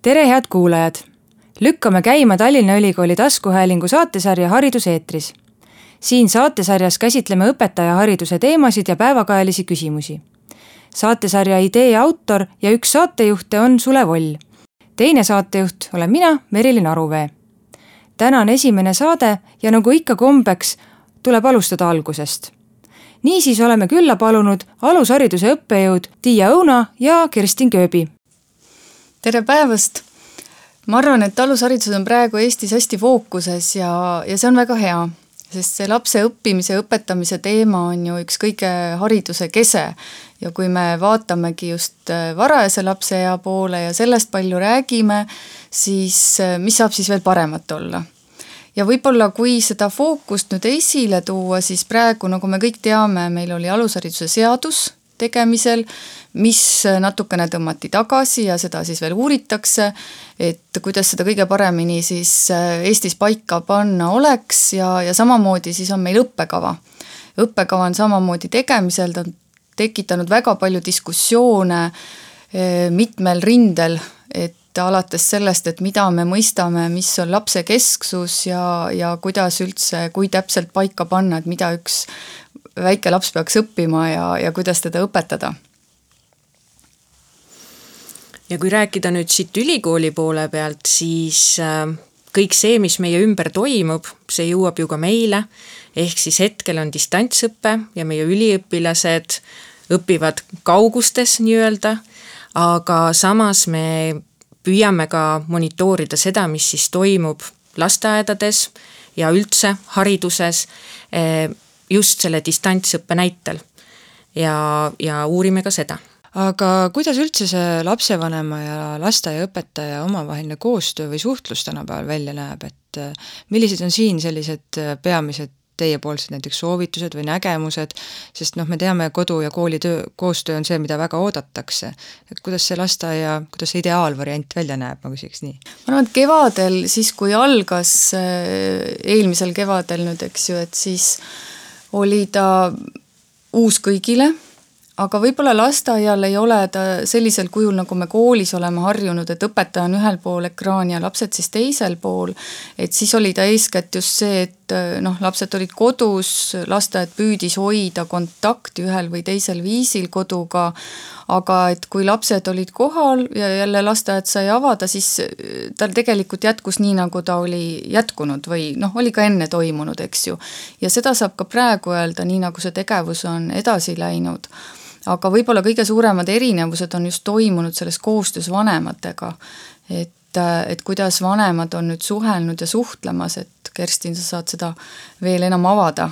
Tere, head kuulajad! Lükkame käima Tallinna Ülikooli taskuhäälingu saatesarja Hariduseetris. Siin saatesarjas käsitleme õpetajahariduse teemasid ja päevakajalisi küsimusi. Saatesarja idee autor ja üks saatejuhte on Sule Voll. Teine saatejuht olen mina, Merilin Aruvee. Täna on esimene saade ja nagu ikka kombeks, tuleb alustada algusest. Niisiis oleme külla palunud alushariduse õppejõud Tiia Õuna ja Kerstin Kööbi. Tere päevast! Ma arvan, et alusharidus on praegu Eestis hästi fookuses ja see on väga hea, sest see lapse õppimise ja õpetamise teema on ju üks kõige hariduse kese. Ja kui me vaatamegi just varajase lapseea poole ja sellest palju räägime, siis mis saab siis veel paremat olla? Ja võib-olla kui seda fookust nüüd esile tuua, siis praegu, nagu me kõik teame, meil oli alushariduse seadus tegemisel, mis natukene tõmmati tagasi ja seda siis veel uuritakse, et kuidas seda kõige paremini siis Eestis paika panna oleks ja samamoodi siis on meil õppekava. Õppekava on samamoodi tegemisel, ta on tekitanud väga palju diskussioone mitmel rindel, et alates sellest, et mida me mõistame, mis on lapse kesksus ja kuidas üldse, kui täpselt paika panna, et mida üks väike laps peaks õppima ja kuidas teda õpetada. Ja kui rääkida nüüd siit ülikooli poole pealt, siis kõik see, mis meie ümber toimub, see jõuab ju ka meile, ehk siis hetkel on distantsõppe ja meie üliõpilased õpivad kaugustes nii-öelda, aga samas me püüame ka monitoorida seda, mis siis toimub lasteaedades ja üldse hariduses just selle distantsõppe näitel ja uurime ka seda. Aga kuidas üldse see lapsevanema ja lasteaiaõpetaja omavaheline koostöö või suhtlus tänapäeval välja näeb, et millised on siin sellised peamised teiepoolsed näiteks soovitused või nägemused, sest me teame, kodu ja kooli koostöö on see, mida väga oodatakse. Et kuidas see lasteaia, kuidas see ideaalvariant välja näeb, ma küsiks nii? Ma arvan, et kevadel, siis kui algas eelmisel kevadel nüüd, eks ju, et siis oli ta uus kõigile, aga võib-olla lasteaial ei ole ta sellisel kujul, nagu me koolis oleme harjunud, et õpetaja on ühel pool ekraani ja lapsed siis teisel pool, et siis oli ta eeskätt just see, et lapsed olid kodus, lasteaed püüdis hoida kontakti ühel või teisel viisil koduga, aga et kui lapsed olid kohal ja jälle lasteaed sai avada, siis tal tegelikult jätkus nii, nagu ta oli jätkunud või oli ka enne toimunud, eks ju. Ja seda saab ka praegu öelda, nii nagu see tegevus on edasi läinud. Aga võib-olla kõige suuremad erinevused on just toimunud selles koostöös vanematega, et kuidas vanemad on nüüd suhelnud ja suhtlemas, et Kerstin, sa saad seda veel enam avada.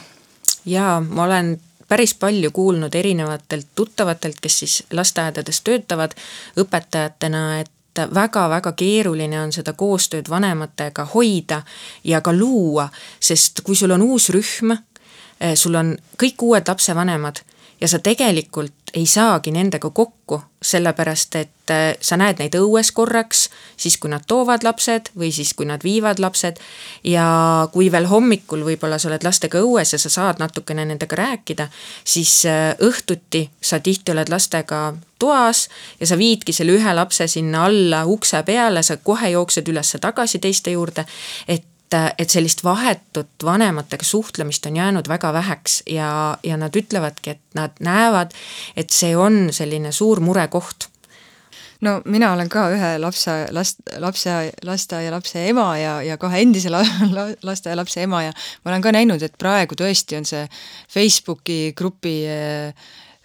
Jaa, ma olen päris palju kuulnud erinevatelt tuttavatelt, kes siis lasteaedades töötavad õpetajatena, et väga-väga keeruline on seda koostööd vanematega hoida ja ka luua, sest kui sul on uus rühm, sul on kõik uued lapsevanemad ja sa tegelikult ei saagi nendega kokku, sellepärast, et sa näed neid õues korraks, siis kui nad toovad lapsed või siis kui nad viivad lapsed ja kui veel hommikul võib-olla sa oled lastega õues ja sa saad natukene nendega rääkida, siis õhtuti sa tihti oled lastega toas ja sa viidki selle ühe lapse sinna alla ukse peale, sa kohe jooksed üles tagasi teiste juurde, et sellist vahetut vanematega suhtlemist on jäänud väga väheks ja nad ütlevadki, et nad näevad, et see on selline suur murekoht. No mina olen ka ühe lasteaia lapse ema ja kahe endise lasteaia lapse ema ja ma olen ka näinud, et praegu tõesti on see Facebooki grupi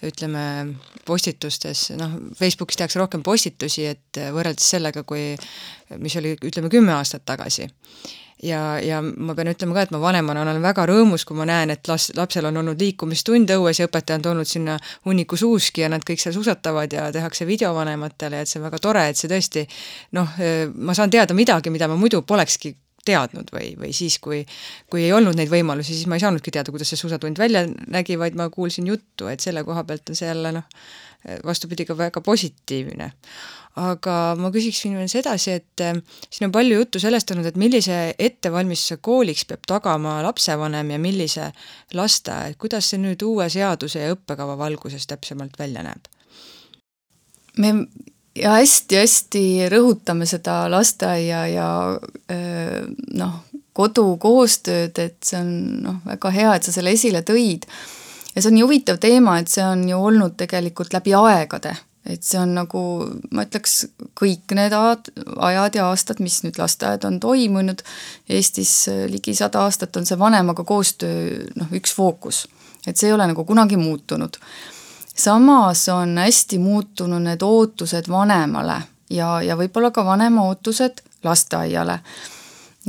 ütleme postitustes, Facebookis tehakse rohkem postitusi, et võrreldes sellega, mis oli, ütleme, 10 aastat tagasi. Ja ma pean ütlema ka, et ma vanemana olen väga rõõmus, kui ma näen, et lapsel on olnud liikumistund õues ja õpetaja on toonud sinna hunniku suuski ja nad kõik seal suusatavad ja tehakse videovanematele, et see on väga tore, et see tõesti, ma saan teada midagi, mida ma muidu polekski teadnud või siis, kui ei olnud neid võimalusi, siis ma ei saanudki teada, kuidas see suusatund välja nägi, vaid ma kuulsin juttu, et selle koha pealt on see jälle vastupidi ka väga positiivne. Aga ma küsiksin veel sedasi, et siin on palju juttu sellest olnud, et millise ettevalmistuse kooliks peab tagama lapsevanem ja millise lasteaed, kuidas see nüüd uue seaduse ja õppekava valguses täpsemalt välja näeb? Me ja hästi-hästi rõhutame seda lasteaia ja kodu koostööd, et see on väga hea, et sa selle esile tõid. Ja see on nii huvitav teema, et see on ju olnud tegelikult läbi aegade. Et see on nagu, ma ütleks, kõik need ajad ja aastad, mis nüüd lasteaed on toimunud. Eestis ligi 100 aastat on see vanemaga koostöö üks fookus. Et see ei ole nagu kunagi muutunud. Samas on hästi muutunud need ootused vanemale ja võib-olla ka vanema ootused lasteaiale.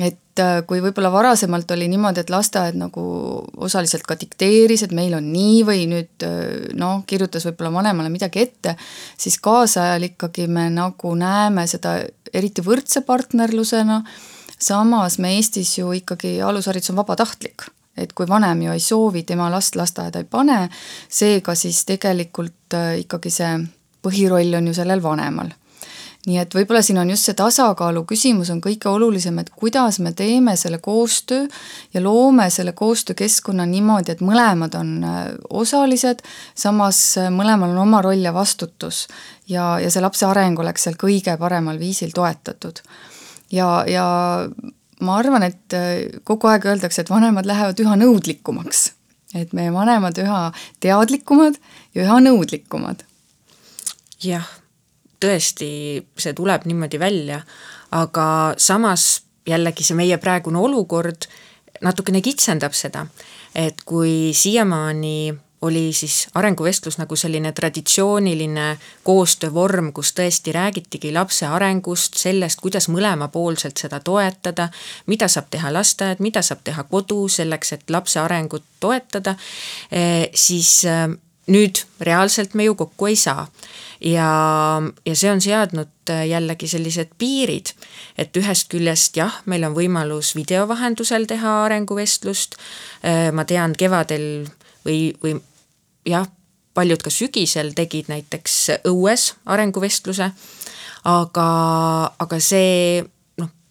Et kui võib-olla varasemalt oli niimoodi, et lasteaed nagu osaliselt ka dikteeris, et meil on nii või nüüd kirjutas võib-olla vanemale midagi ette, siis kaasajal ikkagi me nagu näeme seda eriti võrdse partnerlusena, samas me Eestis ju ikkagi alusharidus on vabatahtlik, et kui vanem ju ei soovi, tema last lasteaeda ei pane, seega siis tegelikult ikkagi see põhiroll on ju sellel vanemal. Nii et võib-olla siin on just see tasakaalu küsimus on kõige olulisem, et kuidas me teeme selle koostöö ja loome selle koostöökeskkonna niimoodi, et mõlemad on osalised, samas mõlemal on oma roll ja vastutus ja see lapse areng oleks seal kõige paremal viisil toetatud. Ja ma arvan, et kogu aeg öeldakse, et vanemad lähevad üha nõudlikumaks, et meie vanemad üha teadlikumad ja üha nõudlikumad. Jah. Tõesti, see tuleb niimoodi välja, aga samas jällegi see meie praegune olukord natukene kitsendab seda, et kui siiamaani oli siis arenguvestlus nagu selline traditsiooniline koostöövorm, kus tõesti räägitigi lapse arengust, sellest, kuidas mõlemapoolselt seda toetada, mida saab teha lasteaed, mida saab teha kodu selleks, et lapse arengut toetada, siis nüüd reaalselt me ju kokku ei saa. Ja see on seadnud jällegi sellised piirid, et ühest küljest jah, meil on võimalus videovahendusel teha arenguvestlust, ma tean kevadel või jah, paljud ka sügisel tegid näiteks õues arenguvestluse, aga see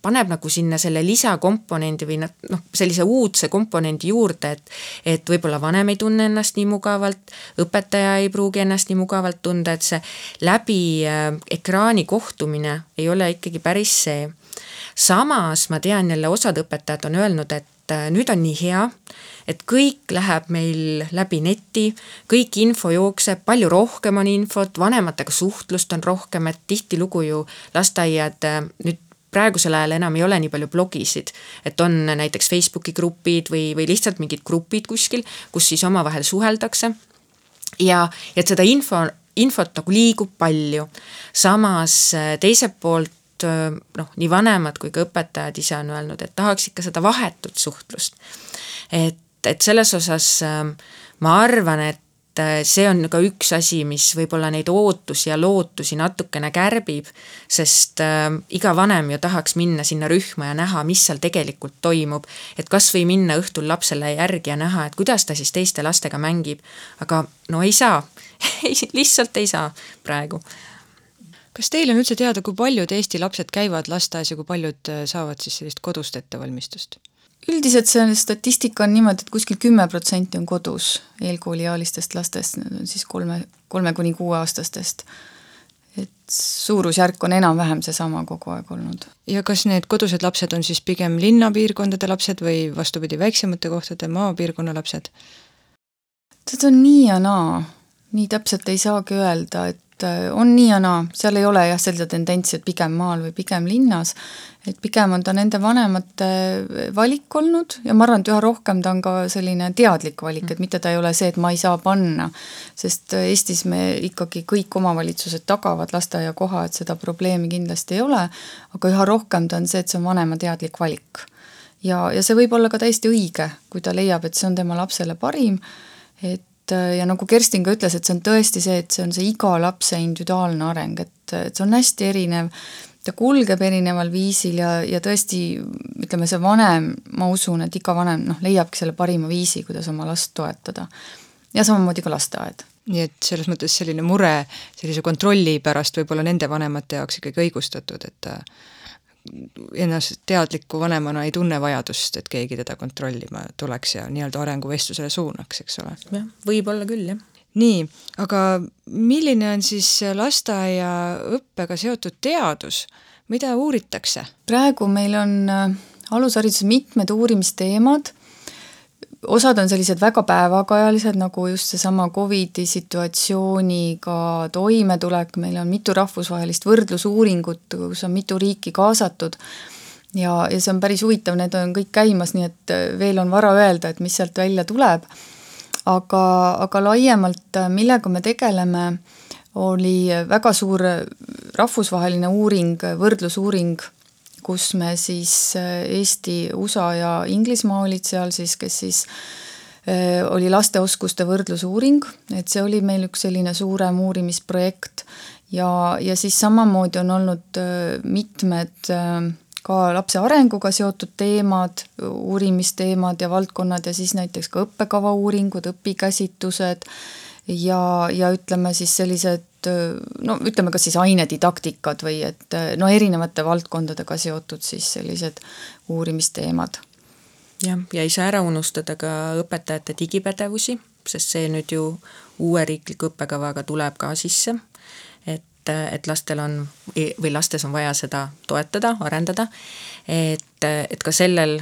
paneb nagu sinna selle lisakomponendi või sellise uudse komponendi juurde, et võib-olla vanem ei tunne ennast nii mugavalt, õpetaja ei pruugi ennast nii mugavalt tunda, et see läbi ekraani kohtumine ei ole ikkagi päris see. Samas ma tean jälle osad õpetajad on öelnud, et nüüd on nii hea, et kõik läheb meil läbi neti, kõik info jookseb, palju rohkem on infot, vanematega suhtlust on rohkem, et tihtilugu ju lasteaiad nüüd praegusel ajal enam ei ole nii palju blogisid, et on näiteks Facebooki grupid või lihtsalt mingid grupid kuskil, kus siis omavahel suheldakse ja et seda infot nagu liigub palju. Samas teiselt poolt nii vanemad kui ka õpetajad ise on öelnud, et tahaks ikka seda vahetut suhtlust. Et selles osas ma arvan, et see on ka üks asi, mis võib-olla neid ootusi ja lootusi natukene kärbib, sest iga vanem ju tahaks minna sinna rühma ja näha, mis seal tegelikult toimub, et kas või minna õhtul lapsele järgi ja näha, et kuidas ta siis teiste lastega mängib, aga ei saa, lihtsalt ei saa praegu. Kas teil on üldse teada, kui paljud Eesti lapsed käivad lasteaias ja kui paljud saavad siis sellist kodust ettevalmistust? Üldiselt see statistika on niimoodi, et kuskil 10% on kodus eelkooliealistest lastest, need on siis 3–6 aastastest. Et suurusjärk on enam-vähem seesama kogu aeg olnud. Ja kas need kodused lapsed on siis pigem linnapiirkondade lapsed või vastupidi väiksemate kohtade maapiirkonna lapsed? Seda on nii ja naa. Nii täpselt ei saagi öelda, et on nii ja naa. Seal ei ole jah selline tendentsi, et pigem maal või pigem linnas. Et pigem on ta nende vanemate valik olnud ja ma arvan, et üha rohkem ta on ka selline teadlik valik, et mitte ta ei ole see, et ma ei saa panna, sest Eestis me ikkagi kõik omavalitsused tagavad lasteaia koha, et seda probleemi kindlasti ei ole, aga üha rohkem ta on see, et see on vanema teadlik valik. Ja see võib olla ka täiesti õige, kui ta leiab, et see on tema lapsele parim, ja nagu Kerstin ka ütles, et see on tõesti see, et see on see iga lapse individuaalne areng, et see on hästi erinev, ta kulgeb erineval viisil ja tõesti, ütleme see vanem, ma usun, et iga vanem leiabki selle parima viisi, kuidas oma last toetada. Ja samamoodi ka lasteaed. Nii et selles mõttes selline mure sellise kontrolli pärast võib-olla nende vanemate jaoks ikkagi õigustatud, et ennast teadliku vanemana ei tunne vajadust, et keegi teda kontrollima tuleks ja nii-öelda arenguvestlusele suunaks, eks ole. Ja, võib olla küll, jah. nii, aga milline on siis lasteaiaõppega seotud teadus? Mida uuritakse? Praegu meil on alushariduses mitmed uurimisteemad, osad on sellised väga päevakajalised, nagu just seesama COVID-i situatsiooniga toimetulek, meil on mitu rahvusvahelist võrdlusuuringut, kus on mitu riiki kaasatud ja see on päris huvitav, need on kõik käimas, nii et veel on vara öelda, et mis sealt välja tuleb. Aga laiemalt, millega me tegeleme, oli väga suur rahvusvaheline uuring, võrdlusuuring, kus me siis Eesti, USA ja Inglismaa olid seal siis, kes siis oli lasteoskuste võrdlusuuring, et see oli meil üks selline suurem uurimisprojekt ja siis samamoodi on olnud mitmed ka lapse arenguga seotud teemad, uurimisteemad ja valdkonnad ja siis näiteks ka õppekava uuringud, õpikäsitused ja ütleme siis sellised, no ütleme ka siis ainedidaktikad või et no erinevate valdkondadega seotud siis sellised uurimisteemad. Ja ei saa ära unustada ka õpetajate digipädevusi, sest see nüüd ju uue riikliku õppekavaga tuleb ka sisse, et lastel on või lastes on vaja seda toetada, arendada, et ka sellel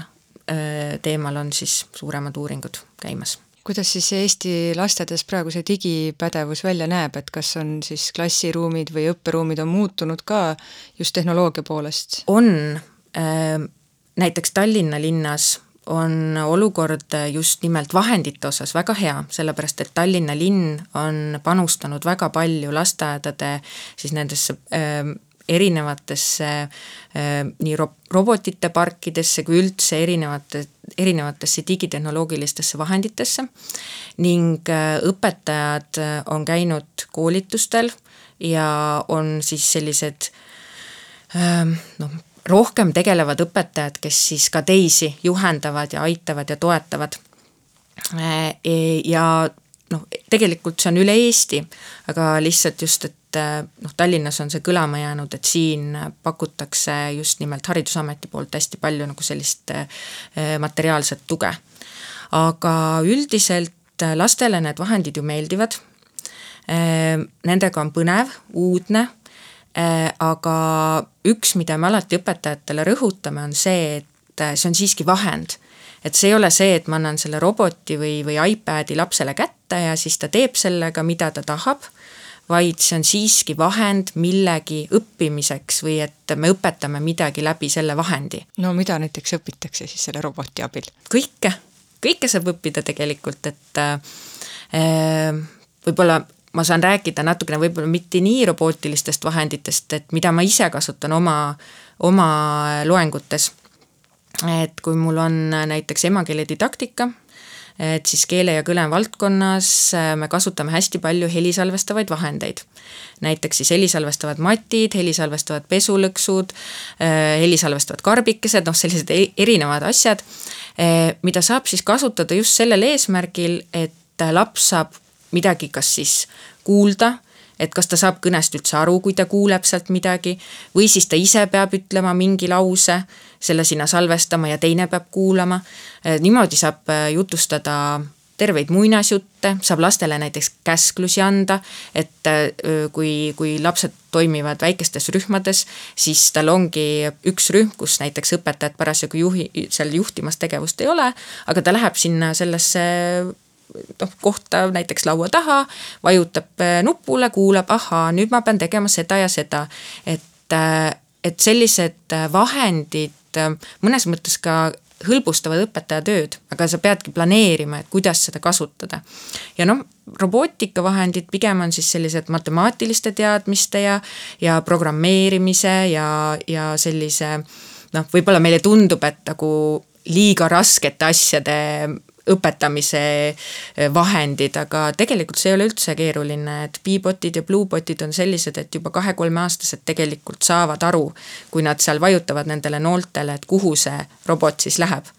teemal on siis suuremad uuringud käimas. Kuidas siis Eesti lastedes praegu see digipädevus välja näeb, et kas on siis klassiruumid või õpperuumid on muutunud ka just tehnoloogia poolest? On, näiteks Tallinna linnas on olukord just nimelt vahendite osas väga hea, sellepärast et Tallinna linn on panustanud väga palju lasteaedade siis nendesse erinevatesse nii robotite parkidesse kui üldse erinevatesse digitehnoloogilistesse vahenditesse ning õpetajad on käinud koolitustel ja on siis sellised rohkem tegelevad õpetajad, kes siis ka teisi juhendavad ja aitavad ja toetavad. Ja tegelikult see on üle Eesti, aga lihtsalt just, et Tallinnas on see kõlama jäänud, et siin pakutakse just nimelt Haridusameti poolt hästi palju nagu sellist materiaalset tuge. Aga üldiselt lastele need vahendid ju meeldivad, nendega on põnev, uudne, aga üks, mida me alati õpetajatele rõhutame, on see, et see on siiski vahend. Et see ei ole see, et ma annan selle roboti või iPadi lapsele kätte ja siis ta teeb sellega, mida ta tahab, vaid see on siiski vahend millegi õppimiseks või et me õpetame midagi läbi selle vahendi. No mida näiteks õpitakse siis selle roboti abil? Kõike saab õppida tegelikult, et võib-olla ma saan rääkida natukene võib-olla mitte nii robootilistest vahenditest, et mida ma ise kasutan oma loengutes. Et kui mul on näiteks emakeele didaktika, et siis keele ja kõne valdkonnas me kasutame hästi palju helisalvestavaid vahendeid. Näiteks siis helisalvestavad matid, helisalvestavad pesulõksud, helisalvestavad karbikesed, sellised erinevad asjad, mida saab siis kasutada just sellel eesmärgil, et laps saab midagi kas siis kuulda, et kas ta saab kõnest üldse aru, kui ta kuuleb sealt midagi, või siis ta ise peab ütlema mingi lause, selle sinna salvestama ja teine peab kuulama. Niimoodi saab jutustada terveid muinasjutte, saab lastele näiteks käsklusi anda, et kui lapsed toimivad väikestes rühmades, siis tal ongi üks rühm, kus näiteks õpetajad parasjagu seal juhtimas tegevust ei ole, aga ta läheb sinna sellesse kohta näiteks laua taha, vajutab nupule, kuulab, nüüd ma pean tegema seda ja seda. Et sellised vahendid mõnes mõttes ka hõlbustavad õpetaja tööd, aga sa peadki planeerima, et kuidas seda kasutada. Ja robootikavahendid pigem on siis sellised matemaatiliste teadmiste ja programmeerimise ja sellise, võib-olla meile tundub, et nagu liiga raskete asjade õpetamise vahendid, aga tegelikult see ei ole üldse keeruline, et Beebotid ja Bluebotid on sellised, et juba 2-3 aastased tegelikult saavad aru, kui nad seal vajutavad nendele nooltele, et kuhu see robot siis läheb.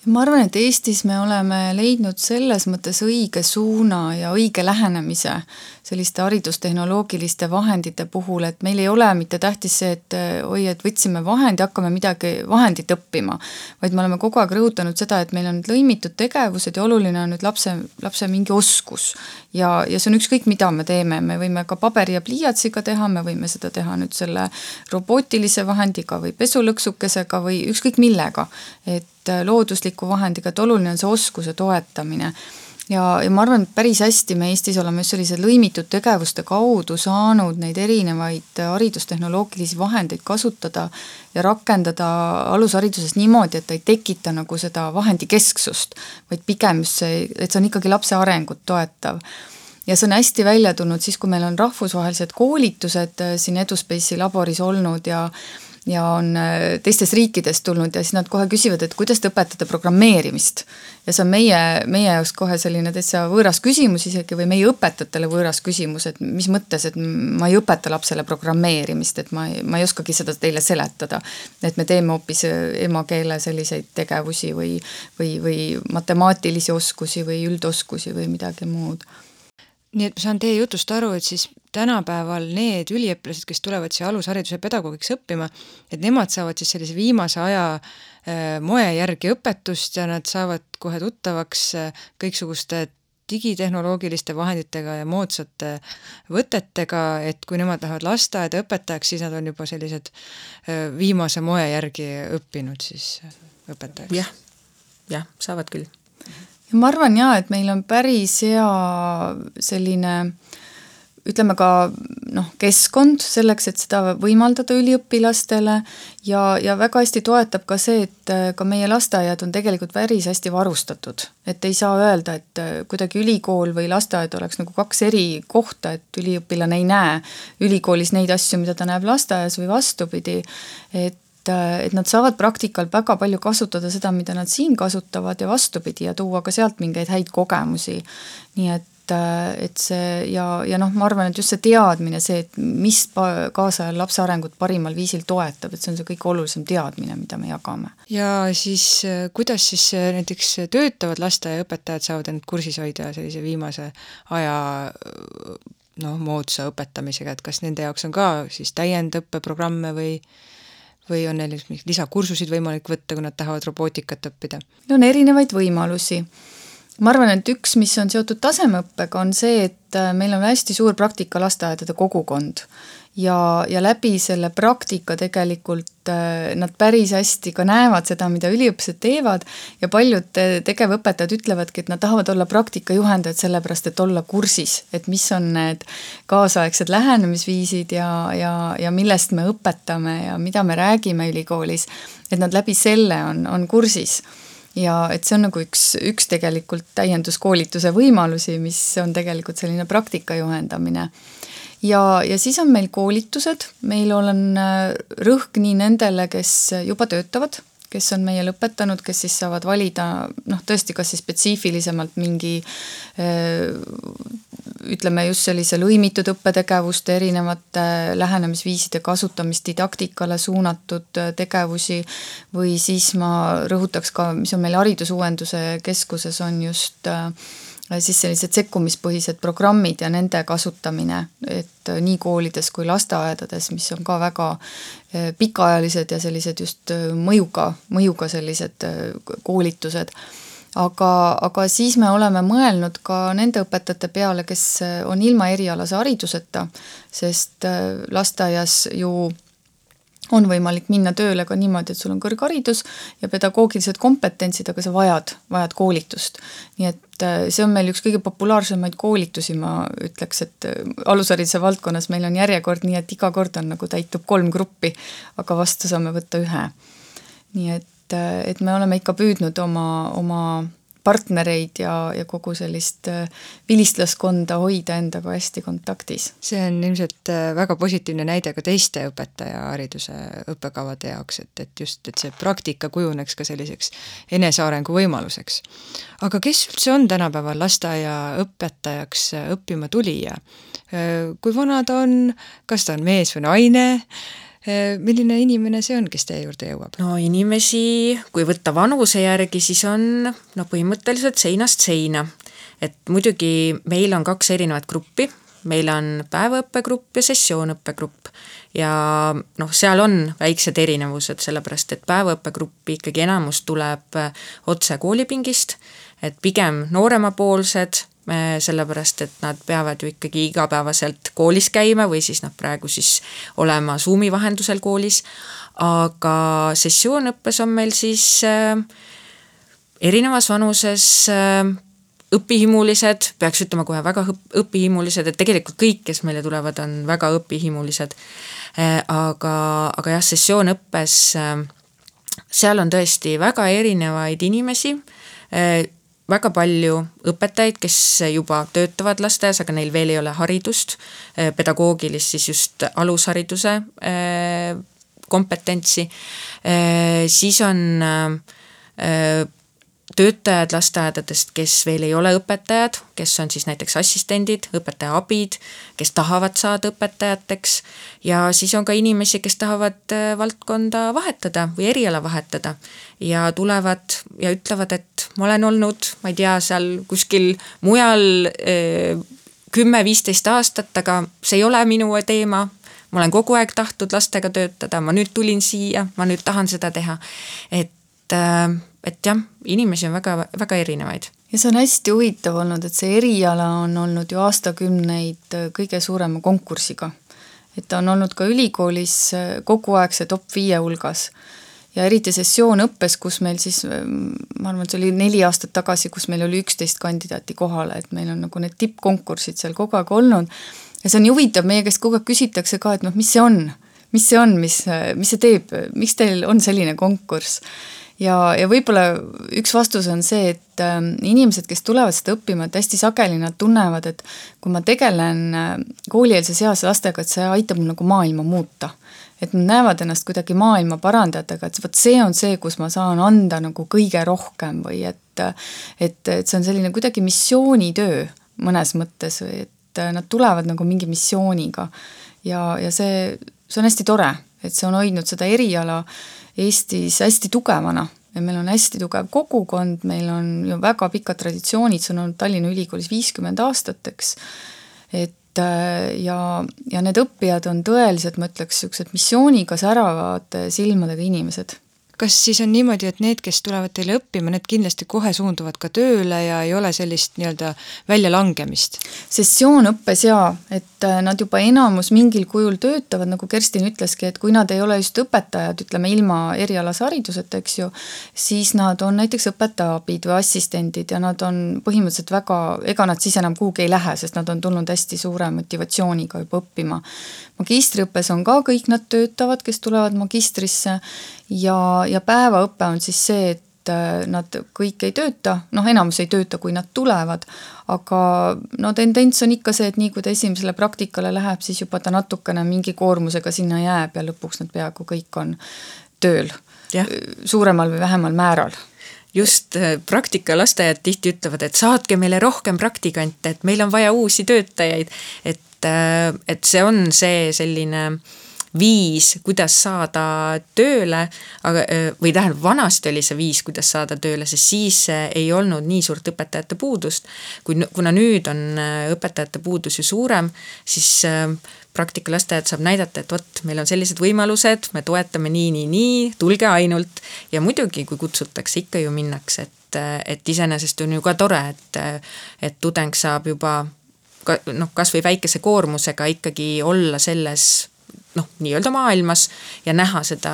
Ma arvan, et Eestis me oleme leidnud selles mõttes õige suuna ja õige lähenemise selliste haridustehnoloogiliste vahendite puhul, et meil ei ole mitte tähtis see, et oi, et võtsime vahendi, hakkame midagi vahendit õppima, vaid me oleme kogu aeg rõhutanud seda, et meil on nüüd lõimitud tegevused ja oluline on nüüd lapse mingi oskus. Ja see on ükskõik, mida me teeme, me võime ka paberi ja pliiatsiga teha, me võime seda teha nüüd selle robootilise vahendiga või pesulõksukesega või ükskõik millega, et loodusliku vahendiga, et oluline on see oskuse toetamine. Ja ma arvan, et päris hästi me Eestis oleme just sellised lõimitud tegevuste kaudu saanud neid erinevaid haridustehnoloogilisi vahendeid kasutada ja rakendada alushariduses niimoodi, et ta ei tekita nagu seda vahendi kesksust, vaid pigem see, et see on ikkagi lapse arengut toetav. Ja see on hästi välja tulnud siis, kui meil on rahvusvahelised koolitused siin EduSpace'i laboris olnud ja on teistes riikides tulnud ja siis nad kohe küsivad, et kuidas te õpetate programmeerimist. Ja see on meie jaoks kohe selline täitsa võõras küsimus isegi või meie õpetajatele võõras küsimus, et mis mõttes, et ma ei õpeta lapsele programmeerimist, et ma ei oskagi seda teile seletada. Et me teeme hoopis emakeele selliseid tegevusi või matemaatilisi oskusi või üldoskusi või midagi muud. Nii et ma saan teie jutust aru, et siis tänapäeval need üliõpilased, kes tulevad siia alushariduse pedagoogiks õppima, et nemad saavad siis sellise viimase aja moe järgi õpetust ja nad saavad kohe tuttavaks kõiksuguste digitehnoloogiliste vahenditega ja moodsate võtetega, et kui nemad lähevad lasteaeda õpetajaks, siis nad on juba sellised viimase moe järgi õppinud siis õpetajaks. Jah, saavad küll. Ja ma arvan et meil on päris hea selline, ütleme ka keskkond selleks, et seda võimaldada üliõpilastele ja väga hästi toetab ka see, et ka meie lasteaiad on tegelikult päris hästi varustatud. Et ei saa öelda, et kuidagi ülikool või lasteaed oleks nagu kaks eri kohta, et üliõpilane ei näe ülikoolis neid asju, mida ta näeb lasteaias või vastupidi, et nad saavad praktikal väga palju kasutada seda, mida nad siin kasutavad ja vastupidi ja tuua ka sealt mingeid häid kogemusi. Nii et see ja ma arvan, et just see teadmine, see, et mis kaasajal lapse arengut parimal viisil toetab, et see on see kõige olulisem teadmine, mida me jagame. Ja siis kuidas siis näiteks töötavad lasteaiaõpetajad saavad end kursis hoida sellise viimase aja moodsa õpetamisega, et kas nende jaoks on ka siis täiendõppeprogramme või on neil lisakursusid võimalik võtta, kui nad tahavad robootikat õppida? On erinevaid võimalusi. Ma arvan, et üks, mis on seotud tasemeõppega, on see, et meil on hästi suur praktika lasteaedade kogukond ja läbi selle praktika tegelikult nad päris hästi ka näevad seda, mida üliõpilased teevad ja paljud tegevõpetajad ütlevadki, et nad tahavad olla praktikajuhendajad sellepärast, et olla kursis, et mis on need kaasaegsed lähenemisviisid ja millest me õpetame ja mida me räägime ülikoolis, et nad läbi selle on kursis. Ja et see on nagu üks tegelikult täienduskoolituse võimalusi, mis on tegelikult selline praktika juhendamine. Ja siis on meil koolitused, meil on rõhk nii nendele, kes juba töötavad, kes on meie lõpetanud, kes siis saavad valida, tõesti kas siis spetsiifilisemalt mingi ütleme just sellise lõimitud õppetegevuste erinevate lähenemisviiside kasutamist didaktikale suunatud tegevusi või siis ma rõhutaks ka, mis on meil haridusuuenduse keskuses on just siis sellised sekkumispõhised programmid ja nende kasutamine, et nii koolides kui lasteaedades, mis on ka väga pikaajalised ja sellised just mõjuga sellised koolitused. Aga siis me oleme mõelnud ka nende õpetajate peale, kes on ilma erialase hariduseta, sest lasteaias ju on võimalik minna tööle ka niimoodi, et sul on kõrgharidus ja pedagoogilised kompetentsid, aga sa vajad koolitust. Nii et see on meil üks kõige populaarsemaid koolitusi, ma ütleks, et alushariduse valdkonnas meil on järjekord nii, et iga kord on nagu täitub 3 gruppi, aga vastu saame võtta 1. Nii et me oleme ikka püüdnud oma partnereid ja kogu sellist vilistlaskonda hoida endaga hästi kontaktis. See on ilmselt väga positiivne näide ka teiste õpetajahariduse õppekavade jaoks, et just, et see praktika kujuneks ka selliseks enesearengu võimaluseks. Aga kes üldse on tänapäeval lasteaia õpetajaks õppima tulija? Kui vana ta on, kas ta on mees või naine? Milline inimene see on, kes teie juurde jõuab? No inimesi, kui võtta vanuse järgi, siis on põhimõtteliselt seinast seina. Et muidugi meil on 2 erinevat gruppi, meil on päevaõppegrupp ja sessioonõppegrupp ja seal on väiksed erinevused, sellepärast et päevaõppegruppi ikkagi enamus tuleb otse koolipingist, et pigem nooremapoolsed, sellepärast et nad peavad ju ikkagi igapäevaselt koolis käima või siis praegu siis olema Zoomi vahendusel koolis, aga sessioonõppes on meil siis erinevas vanuses õpihimulised, peaks ütlema kohe väga õpihimulised, et tegelikult kõik, kes meile tulevad, on väga õpihimulised, aga jah, sessioonõppes seal on tõesti väga erinevaid inimesi, väga palju õpetajaid, kes juba töötavad lasteaias, aga neil veel ei ole haridust, pedagoogilist siis just alushariduse kompetentsi, siis on töötajad lasteaedadest, kes veel ei ole õpetajad, kes on siis näiteks assistendid, õpetaja abid, kes tahavad saada õpetajateks ja siis on ka inimesi, kes tahavad valdkonda vahetada või eriala vahetada ja tulevad ja ütlevad, et ma olen olnud, ma ei tea, seal kuskil mujal 10-15 aastat, aga see ei ole minu teema, ma olen kogu aeg tahtnud lastega töötada, ma nüüd tulin siia, ma nüüd tahan seda teha, et jah, inimesi on väga, väga erinevaid. Ja see on hästi huvitav olnud, et see eriala on olnud ju aastakümneid kõige suurema konkursiga. Et ta on olnud ka ülikoolis kogu aeg see top 5 hulgas. Ja eriti sessioonõppes, kus meil siis, ma arvan, see oli 4 aastat tagasi, kus meil oli 11 kandidaati kohale, et meil on nagu need tippkonkursid seal kogu aeg olnud. Ja see on huvitav, meie käest kogu aeg küsitakse ka, et mis see on, mis see teeb, miks teil on selline konkurss. Ja võib-olla üks vastus on see, et inimesed, kes tulevad seda õppima, et hästi sageli nad tunnevad, et kui ma tegelen koolieelses eas lastega, et see aitab mul nagu maailma muuta. Et nad näevad ennast kuidagi maailma parandajatega, et see on see, kus ma saan anda nagu kõige rohkem või et see on selline kuidagi missioonitöö mõnes mõttes või et nad tulevad nagu mingi missiooniga ja see on hästi tore, et see on hoidnud seda eriala Eestis hästi tugevana ja meil on hästi tugev kogukond, meil on ju väga pikad traditsioonid, see on olnud Tallinna Ülikoolis 50 aastateks, et ja need õppijad on tõeliselt, ma ütleks, missiooniga säravad silmadega inimesed. Kas siis on niimoodi, et need, kes tulevad teile õppima, need kindlasti kohe suunduvad ka tööle ja ei ole sellist nii-öelda väljalangemist? Sessioonõppes jaa, et nad juba enamus mingil kujul töötavad, nagu Kerstin ütleski, et kui nad ei ole just õpetajad, ütleme ilma erialase hariduseta, eks ju, siis nad on näiteks õpetajaabid või assistendid ja nad on põhimõtteliselt väga, ega nad siis enam kuhugi ei lähe, sest nad on tulnud hästi suure motivatsiooniga juba õppima. Magistriõppes on ka kõik nad töötavad, kes tulevad magistrisse ja päevaõpe on siis see, et nad kõik ei tööta, enamus ei tööta, kui nad tulevad, aga tendents on ikka see, et nii kui ta esimesele praktikale läheb, siis juba ta natukene mingi koormusega sinna jääb ja lõpuks nad peaaegu kõik on tööl suuremal või vähemal määral. Just praktika lasteajad tihti ütlevad, et saatke meile rohkem praktikante, et meil on vaja uusi töötajaid, et see on see selline viis, kuidas saada tööle, või tähendab, vanasti oli see viis, kuidas saada tööle, sest siis ei olnud nii suurt õpetajate puudust. Kuna nüüd on õpetajate puudus ju suurem, siis praktikalasteajad saab näidata, et vot, meil on sellised võimalused, me toetame nii, tulge ainult. Ja muidugi, kui kutsutakse, ikka ju minnakse, et iseenesest on ju ka tore, et tudeng saab juba kas või väikese koormusega ikkagi olla selles nii-öelda maailmas ja näha seda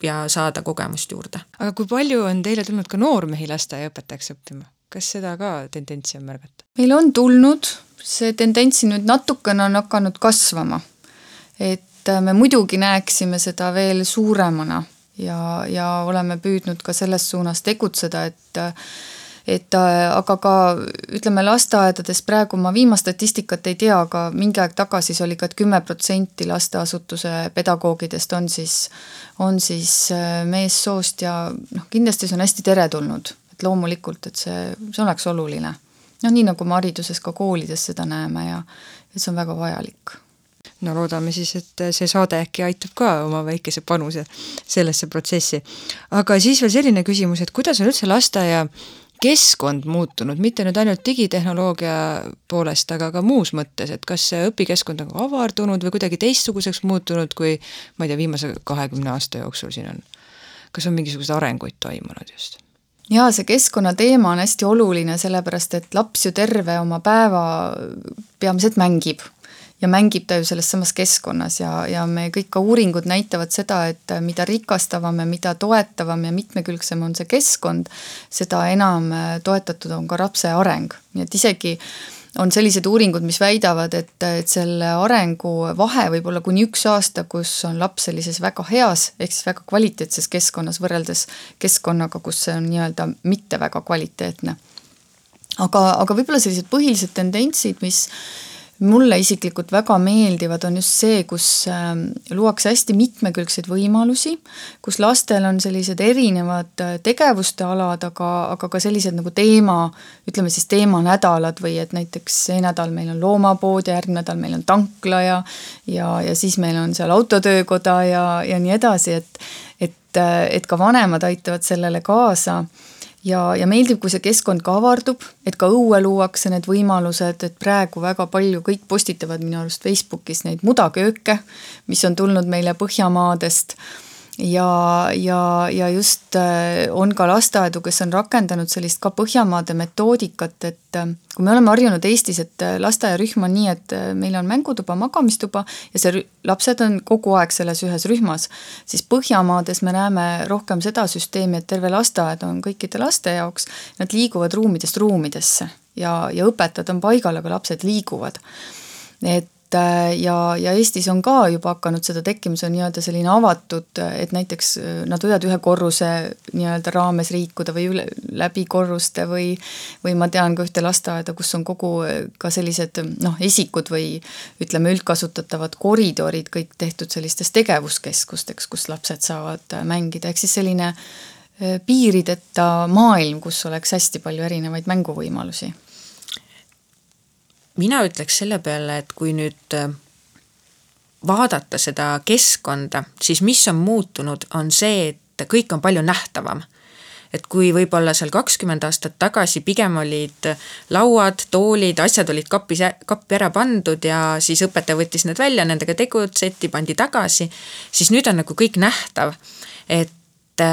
ja saada kogemust juurde. Aga kui palju on teile tulnud ka noormehi lasteaiaõpetajaks õppima? Kas seda ka tendentsi on märgata? Meil on tulnud, see tendentsi nüüd natukene on hakanud kasvama. Et me muidugi näeksime seda veel suuremana ja oleme püüdnud ka selles suunas tegutseda, aga ka ütleme lasteaedades praegu ma viimast statistikat ei tea, aga mingi aeg tagasi see oli ka, et 10% lasteasutuse pedagoogidest on siis meessoost ja kindlasti see on hästi teretulnud, et loomulikult, et see oleks oluline. Nii nagu me hariduses ka koolides seda näeme ja see on väga vajalik. no loodame siis, et see saade äkki aitab ka oma väikese panuse sellesse protsessi. Aga siis veel selline küsimus, et kuidas on üldse lasteaia keskkond muutunud, mitte nüüd ainult digitehnoloogia poolest, aga ka muus mõttes, et kas see õpikeskkond on avardunud või kuidagi teistsuguseks muutunud, kui ma ei tea, viimase 20 aasta jooksul siin on? Kas on mingisugused arenguid toimunud just? Jaa, see keskkonna teema on hästi oluline, sellepärast et laps ju terve oma päeva peamiselt mängib. Ja mängib ta ju selles samas keskkonnas ja me kõik ka uuringud näitavad seda, et mida rikastavam ja mida toetavam ja mitmekülgsem on see keskkond, seda enam toetatud on ka lapse areng. Nii et isegi on sellised uuringud, mis väidavad, et selle arengu vahe võib olla kuni 1 aasta, kus on laps sellises väga heas, ehk siis väga kvaliteetses keskkonnas võrreldes keskkonnaga, kus see on nii-öelda mitte väga kvaliteetne. Aga võib-olla sellised põhilised tendentsid, mis mulle isiklikult väga meeldivad, on just see, kus luuakse hästi mitmekülgseid võimalusi, kus lastel on sellised erinevad tegevuste alad, aga ka sellised nagu ütleme siis teemanädalad või et näiteks see nädal meil on loomapood ja järgmine nädal meil on tankla ja siis meil on seal autotöökoda ja nii edasi, et ka vanemad aitavad sellele kaasa. Ja meeldib, kui see keskkond ka avardub, et ka õue luuakse need võimalused, et praegu väga palju kõik postitavad minu arust Facebookis neid mudakööke, mis on tulnud meile Põhjamaadest ja just on ka lasteaedu, kes on rakendanud sellist ka Põhjamaade metoodikat, et kui me oleme harjunud Eestis, et lasteaiarühm on nii, et meil on mängutuba, magamistuba ja see lapsed on kogu aeg selles ühes rühmas, siis Põhjamaades me näeme rohkem seda süsteemi, et terve lasteaed on kõikide laste jaoks, nad liiguvad ruumidest ruumidesse ja õpetajad on paigal, aga lapsed liiguvad. Ja Eestis on ka juba hakanud seda tekkimus on nii-öelda selline avatud, et näiteks nad võivad ühe korruse nii-öelda raames liikuda või läbi korruste või ma tean ka ühte lasteaeda, kus on kogu ka sellised esikud või ütleme üldkasutatavad koridorid kõik tehtud sellistes tegevuskeskusteks, kus lapsed saavad mängida, ehk siis selline piirideta maailm, kus oleks hästi palju erinevaid mänguvõimalusi. Mina ütleks selle peale, et kui nüüd vaadata seda keskkonda, siis mis on muutunud, on see, et kõik on palju nähtavam. Et kui võib-olla seal 20 aastat tagasi pigem olid lauad, toolid, asjad olid kappi ära pandud ja siis õpetaja võttis need välja, nendega tegutseti, pandi tagasi, siis nüüd on nagu kõik nähtav. Et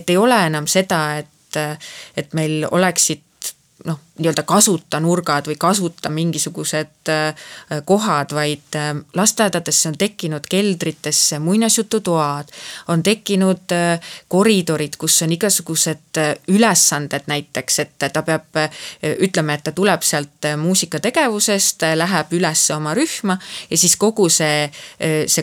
ei ole enam seda, et meil oleksid nii-öelda kasuta nurgad või kasuta mingisugused kohad, vaid lasteaedadesse on tekkinud keldritesse muinasjututoad, on tekkinud koridorid, kus on igasugused ülesanded näiteks, et ta peab, ütleme, et ta tuleb sealt muusikategevusest, läheb üles oma rühma ja siis kogu see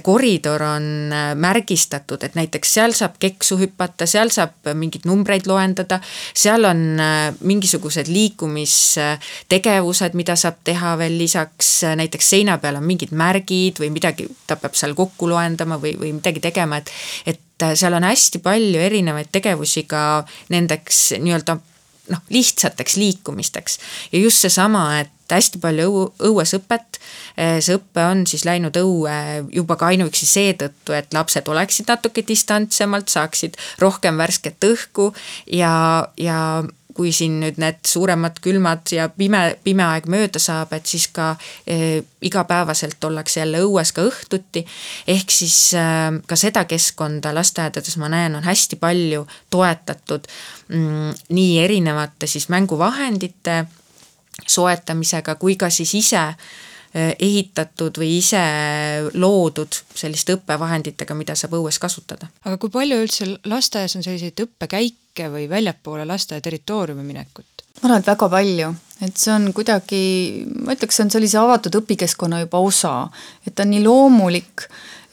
koridor on märgistatud, et näiteks seal saab keksu hüppata, seal saab mingid numbreid loendada, seal on mingisugused liikumistegevused, mida saab teha veel lisaks, näiteks seina peal on mingid märgid või midagi, ta peab seal kokku loendama või midagi tegema, et seal on hästi palju erinevaid tegevusi ka nendeks nii-öelda lihtsateks liikumisteks ja just seesama, et hästi palju õues õpet, see õppe on siis läinud õue juba ka ainuüksi seetõttu, et lapsed oleksid natuke distantsemalt, saaksid rohkem värsket õhku ja kui siin nüüd need suuremad külmad ja pime aeg mööda saab, et siis ka igapäevaselt ollakse jälle õues ka õhtuti, ehk siis ka seda keskkonda lasteaedades ma näen on hästi palju toetatud nii erinevate siis mänguvahendite soetamisega kui ka siis ise ehitatud või ise loodud selliste õppevahenditega, mida saab õues kasutada. Aga kui palju üldse lasteaias on selliseid õppekäike või väljapoole lasteaia territooriumi minekut? Ma arvan, et väga palju, et see on kuidagi, ma ütleks, see on sellise avatud õpikeskkonna juba osa, et ta on nii loomulik,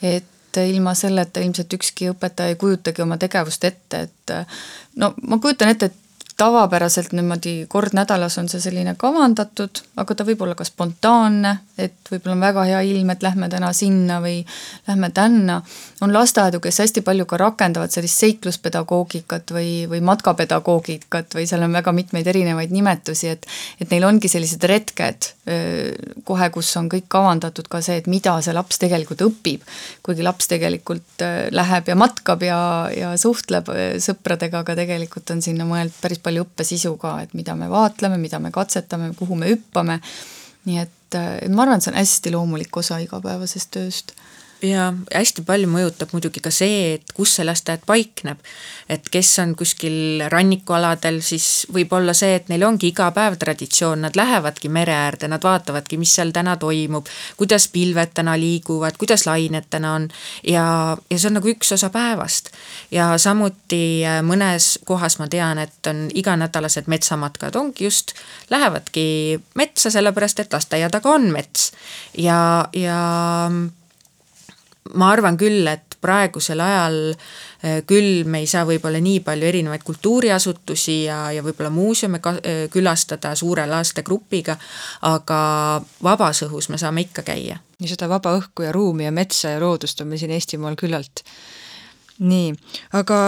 et ilma selleta ilmselt ükski õpetaja ei kujutagi oma tegevust ette, et ma kujutan ette, et tavapäraselt niimoodi kord nädalas on see selline kavandatud, aga ta võib olla ka spontaanne, et võib-olla on väga hea ilm, et lähme täna sinna või lähme tänna. On lasteaedu, kes hästi palju ka rakendavad sellist seikluspedagoogikat või matkapedagoogikat või seal on väga mitmeid erinevaid nimetusi, et neil ongi sellised retked kohe, kus on kõik kavandatud ka see, et mida see laps tegelikult õpib, kuigi laps tegelikult läheb ja matkab ja suhtleb sõpradega, aga tegelikult on sinna mõeld päris palju õppesisu ka, et mida me vaatleme, mida me katsetame, kuhu me hüppame, nii et ma arvan, et see on hästi loomulik osa igapäevasest tööst. Ja hästi palju mõjutab muidugi ka see, et kus see lasteaed paikneb, et kes on kuskil rannikualadel, siis võib olla see, et neil ongi iga päev traditsioon, nad lähevadki mere äärde, nad vaatavadki, mis seal täna toimub, kuidas pilved täna liiguvad, kuidas lained täna on ja see on nagu üks osa päevast. Ja samuti mõnes kohas ma tean, et on iganädalased metsamatkad, ongi just, lähevadki metsa sellepärast, et lasteaia taga on mets ja ma arvan küll, et praegusel ajal küll me ei saa võib-olla nii palju erinevaid kultuuriasutusi ja võib-olla muuseume külastada suure lastegrupiga, aga vabas õhus me saame ikka käia. Ja seda vaba õhku ja ruumi ja metsa ja loodust on meil siin Eestimaal küllalt. Nii, aga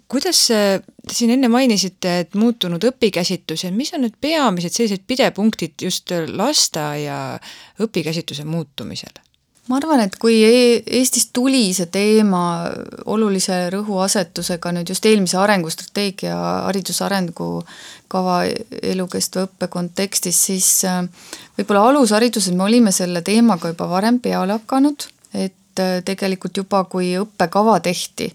kuidas te siin enne mainisite, et muutunud õpikäsitus ja mis on need peamised sellised pidepunktid just lasteaia õpikäsituse muutumisel? Ma arvan, et kui Eestis tuli see teema olulise rõhuasetusega nüüd just eelmise arengustrateegia haridusarengu-kava elukestva õppe kontekstis, siis võib-olla alushariduses me olime selle teemaga juba varem peale hakanud, et tegelikult juba kui õppekava tehti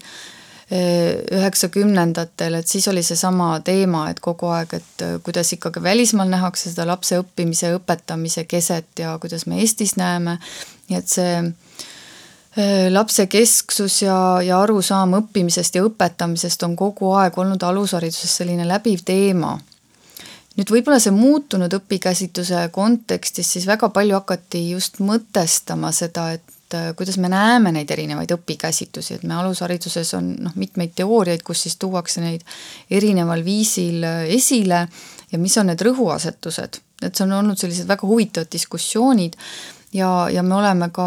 90-ndatel, et siis oli see sama teema, et kogu aeg, et kuidas ikkagi välismaal nähakse seda lapse õppimise ja õpetamise keset ja kuidas me Eestis näeme, nii et see lapse kesksus ja arusaam õppimisest ja õpetamisest on kogu aeg olnud alushariduses selline läbiv teema. Nüüd võib-olla see muutunud õpikäsitluse kontekstis siis väga palju hakati just mõtestama seda, et kuidas me näeme neid erinevaid õpikäsitlusi, et me alushariduses on mitmeid teooriaid, kus siis tuuakse neid erineval viisil esile ja mis on need rõhuasetused. Et see on olnud sellised väga huvitavad diskussioonid ja me oleme ka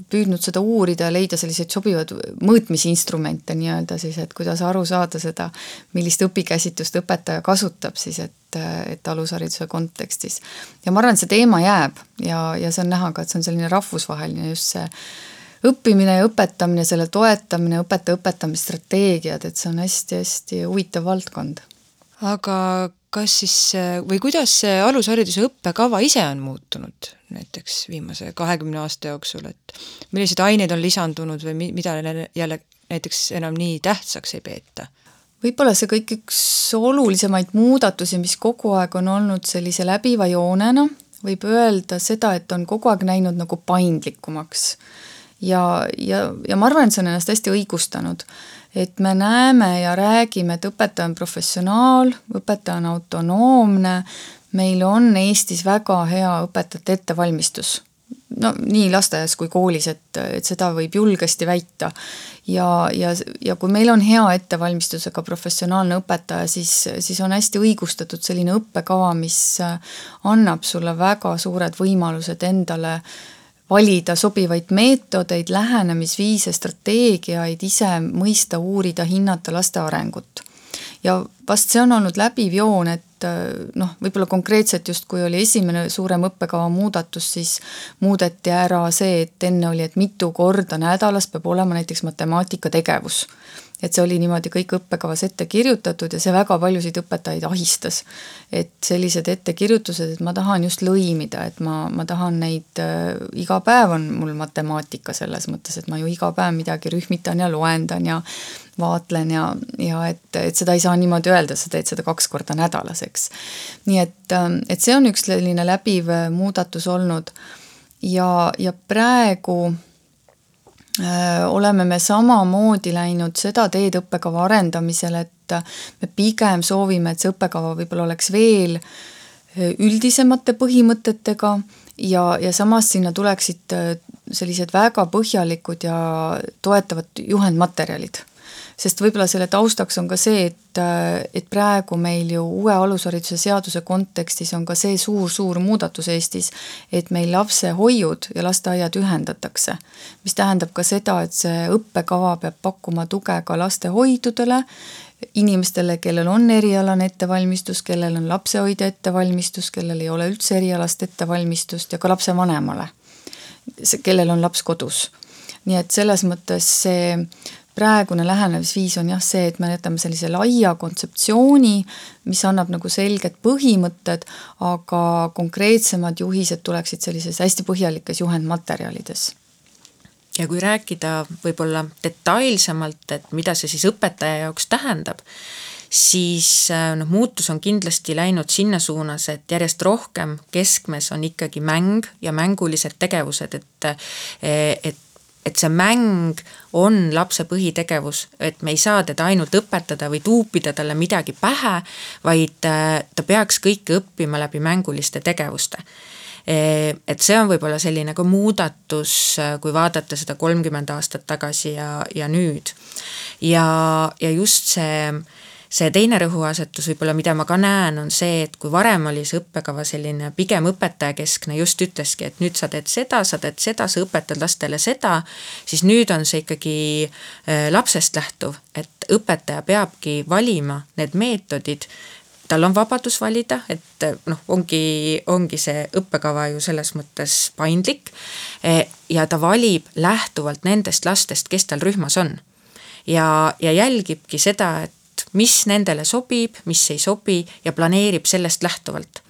püüdnud seda uurida ja leida selliseid sobivad mõõtmisinstrumente nii-öelda siis, et kuidas aru saada seda, millist õpikäsitlust õpetaja kasutab siis, et alushariduse kontekstis. Ja ma arvan, et see teema jääb ja see on näha ka, et see on selline rahvusvaheline just see õppimine ja õpetamine, selle toetamine, õpetamisstrateegiad, et see on hästi-hästi huvitav valdkond. Aga kas siis, või kuidas see alushariduse õppekava ise on muutunud näiteks viimase 20 aasta jooksul, et millised aineid on lisandunud või mida jälle näiteks enam nii tähtsaks ei peeta? Võib-olla see kõik üks olulisemaid muudatusi, mis kogu aeg on olnud sellise läbiva joonena, võib öelda seda, et on kogu aeg näinud nagu paindlikumaks. Ja ma arvan, et see on ennast hästi õigustanud, et me näeme ja räägime, et õpetaja on professionaal, õpetaja on autonoomne, meil on Eestis väga hea õpetajate ettevalmistus. No nii lasteaias kui koolis, et seda võib julgesti väita. Ja kui meil on hea ettevalmistusega professionaalne õpetaja, siis on hästi õigustatud selline õppekava, mis annab sulle väga suured võimalused endale valida sobivaid meetodeid, lähenemisviise, strateegiaid, ise mõista, uurida, hinnata laste arengut. Ja vast see on olnud läbiv joon, et võib-olla konkreetselt just kui oli esimene suurem õppekava muudatus, siis muudeti ära see, et enne oli, et mitu korda nädalas peab olema näiteks matemaatika tegevus. Et see oli niimoodi kõik õppekavas ette kirjutatud ja see väga paljusid õpetajaid ahistas. Et sellised ettekirjutused, et ma tahan just lõimida, et ma tahan neid, iga päev on mul matemaatika selles mõttes, et ma ju iga päev midagi rühmitan ja loendan ja vaatlen ja et seda ei saa niimoodi öelda, sa teed seda 2 korda nädalas, eks. Nii et see on üks selline läbiv muudatus olnud ja praegu oleme me samamoodi läinud seda teed õppekava arendamisel, et me pigem soovime, et see õppekava võib-olla oleks veel üldisemate põhimõtetega ja samas sinna tuleksid sellised väga põhjalikud ja toetavad juhendmaterjalid. sest võib-olla selle taustaks on ka see, et praegu meil ju uue alushariduse seaduse kontekstis on ka see suur muudatus Eestis, et meil lapsehoiud ja lasteaiad ühendatakse, mis tähendab ka seda, et see õppekava peab pakkuma tuge ka lastehoidudele, inimestele, kellel on erialane ettevalmistus, kellel on lapsehoidja ettevalmistus, kellel ei ole üldse erialast ettevalmistust ja ka lapsevanemale, kellel on laps kodus. Nii et selles mõttes see praegune lähenemisviis on jah see, et me jätame sellise laia kontseptsiooni, mis annab nagu selged põhimõtted, aga konkreetsemad juhised tuleksid sellises hästi põhjalikes juhendmaterjalides. Ja kui rääkida võib-olla detailsemalt, et mida see siis õpetaja jaoks tähendab, siis muutus on kindlasti läinud sinna suunas, et järjest rohkem keskmes on ikkagi mäng ja mängulised tegevused, et see mäng on lapse põhitegevus, et me ei saa teda ainult õpetada või tuupida talle midagi pähe, vaid ta peaks kõike õppima läbi mänguliste tegevuste. Et see on võib-olla selline ka muudatus, kui vaadata seda 30 aastat tagasi ja nüüd. Ja just see teine rõhuasetus võib-olla, mida ma ka näen, on see, et kui varem oli see õppekava selline pigem õpetajakeskne, just ütleski, et nüüd sa teed seda, sa õpetad lastele seda, siis nüüd on see ikkagi lapsest lähtuv, et õpetaja peabki valima need meetodid, tal on vabadus valida, et ongi see õppekava ju selles mõttes paindlik ja ta valib lähtuvalt nendest lastest, kes tal rühmas on. Ja jälgibki seda, et mis nendele sobib, mis ei sobi ja planeerib sellest lähtuvalt.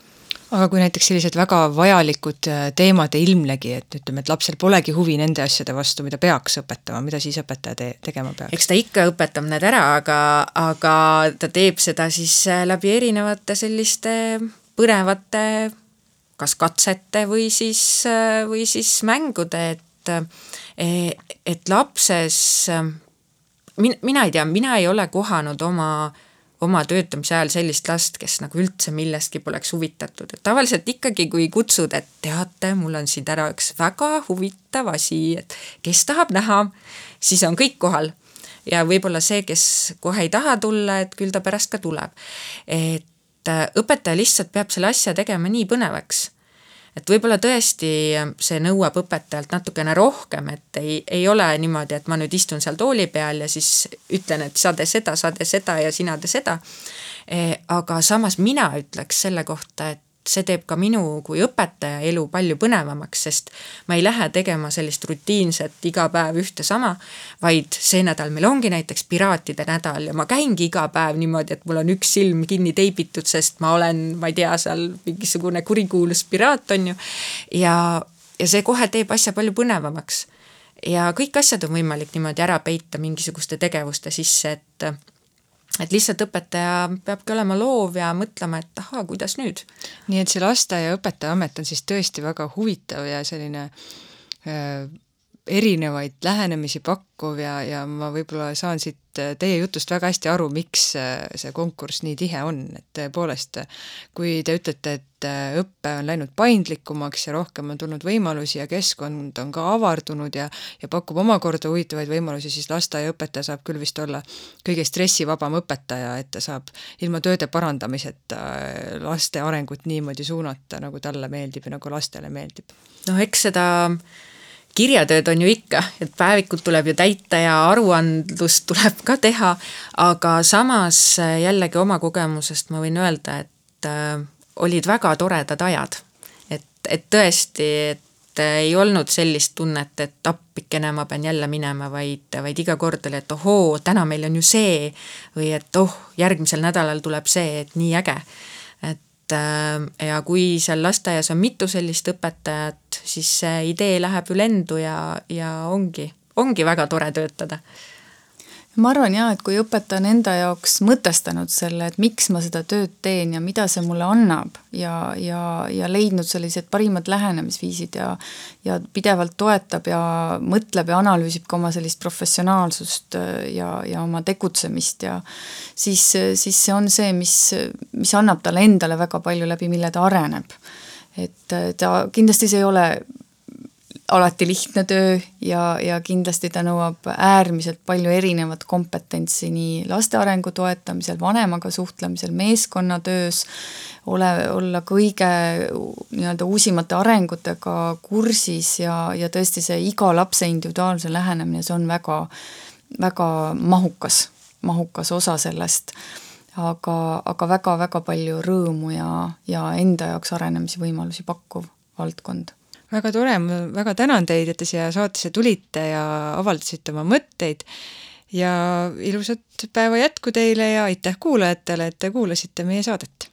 Aga kui näiteks sellised väga vajalikud teemad ei ilmlegi, et ütleme, et lapsel polegi huvi nende asjade vastu, mida peaks õpetama, mida siis õpetaja tegema peaks? Eks ta ikka õpetab need ära, aga ta teeb seda siis läbi erinevate selliste põnevate kas katsete või siis mängude, et lapses mina ei tea, mina ei ole kohanud oma töötamise ajal sellist last, kes nagu üldse millestki poleks huvitatud. Et tavaliselt ikkagi, kui kutsud, et teate, mul on siin ära üks väga huvitav asi, et kes tahab näha, siis on kõik kohal. Ja võib-olla see, kes kohe ei taha tulla, et küll ta pärast ka tuleb. Et õpetaja lihtsalt peab selle asja tegema nii põnevaks. Et võib-olla tõesti see nõuab õpetajalt natukene rohkem, et ei ole niimoodi, et ma nüüd istun seal tooli peal ja siis ütlen, et sa tee seda ja sina tee seda. Aga samas mina ütleks selle kohta, et see teeb ka minu kui õpetaja elu palju põnevamaks, sest ma ei lähe tegema sellist rutiinset iga päev ühte sama, vaid see nädal meil ongi näiteks piraatide nädal ja ma käingi iga päev niimoodi, et mul on üks silm kinni teibitud, sest ma olen, ma ei tea, seal mingisugune kurikuulus piraat on ju. Ja see kohe teeb asja palju põnevamaks. Ja kõik asjad on võimalik niimoodi ära peita mingisuguste tegevuste sisse, et lihtsalt õpetaja peabki olema loov ja mõtlema, et aha, kuidas nüüd? Nii et see lasteaia õpetaja amet on siis tõesti väga huvitav ja selline erinevaid lähenemisi pakkuv ja ma võib-olla saan siit teie jutust väga hästi aru, miks see konkurss nii tihe on, et tõepoolest, kui te ütlete, et õppe on läinud paindlikumaks ja rohkem on tulnud võimalusi ja keskkond on ka avardunud ja pakub omakorda huvitavaid võimalusi, siis lasteaiaõpetaja saab küll vist olla kõige stressivabam õpetaja, et ta saab ilma tööde parandamiseta laste arengut niimoodi suunata, nagu talle meeldib ja nagu lastele meeldib. Eks seda kirjatööd on ju ikka, et päevikud tuleb ju täita ja aruandlust tuleb ka teha, aga samas jällegi oma kogemusest ma võin öelda, et olid väga toredad ajad. Et tõesti, et ei olnud sellist tunnet, et appikene ma pean jälle minema, vaid iga kord oli, et ohoo, täna meil on ju see või et järgmisel nädalal tuleb see, et nii äge. Ja kui seal lasteaias on mitu sellist õpetajat, siis see idee läheb ju lendu ja ongi väga tore töötada. Ma arvan jah, et kui õpetaja on enda jaoks mõtestanud selle, et miks ma seda tööd teen ja mida see mulle annab ja leidnud sellised parimad lähenemisviisid ja pidevalt toetab ja mõtleb ja analüüsib ka oma sellist professionaalsust ja oma tegutsemist ja siis see on see, mis annab talle endale väga palju läbi, mille ta areneb. Et ta kindlasti see ei ole alati lihtne töö ja kindlasti ta nõuab äärmiselt palju erinevat kompetentsi nii laste arengu toetamisel, vanemaga suhtlemisel, meeskonnatöös, olla kõige nii-öelda uusimate arengutega kursis ja tõesti see iga lapse individuaalse lähenemine, see on väga, väga mahukas osa sellest, aga väga-väga palju rõõmu ja enda jaoks arenemisvõimalusi pakkuv valdkond. Väga tore, ma väga tänan teid, et te siia saatesse tulite ja avaldasite oma mõtteid ja ilusat päeva jätku teile ja aitäh kuulajatele, et te kuulasite meie saadet.